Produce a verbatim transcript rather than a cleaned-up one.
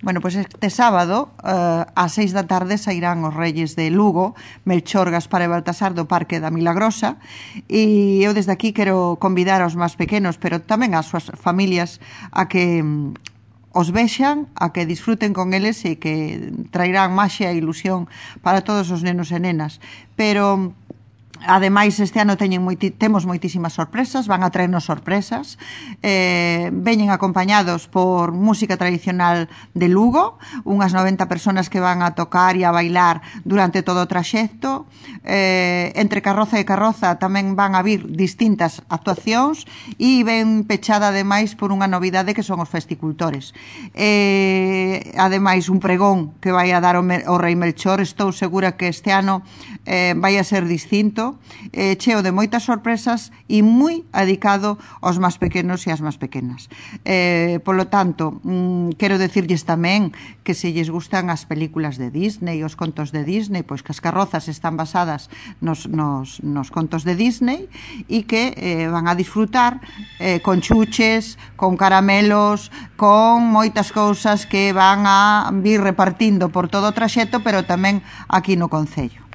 Bueno, pois este sábado uh, ás seis da tarde sairán os Reyes de Lugo, Melchor, Gaspar e Baltasar do Parque da Milagrosa, e eu desde aquí quero convidar aos máis pequenos, pero tamén ás súas familias, a que um, os vexan, a que disfruten con eles e que trairán maxia e ilusión para todos os nenos e nenas. Pero ademais, este ano teñen moiti, temos moitísimas sorpresas, van a traernos sorpresas. Eh, veñen acompañados por música tradicional de Lugo, unhas noventa personas que van a tocar e a bailar durante todo o traxecto. Eh, entre carroza e carroza tamén van a vir distintas actuacións e ven pechada ademais por unha novidade que son os festicultores. Eh, ademais, un pregón que vai a dar o, o Rei Melchor, estou segura que este ano eh, vai a ser distinto, eh, cheo de moitas sorpresas e moi adicado aos máis pequenos e ás máis pequenas. Eh, polo tanto, mm, quero decirlles tamén que se lles gustan as películas de Disney, os contos de Disney, pois que as carrozas están basadas nos, nos, nos contos de Disney e que eh, van a disfrutar eh, con chuches, con caramelos, con moitas cousas que van a vir repartindo por todo o traxecto, pero tamén aquí no concello.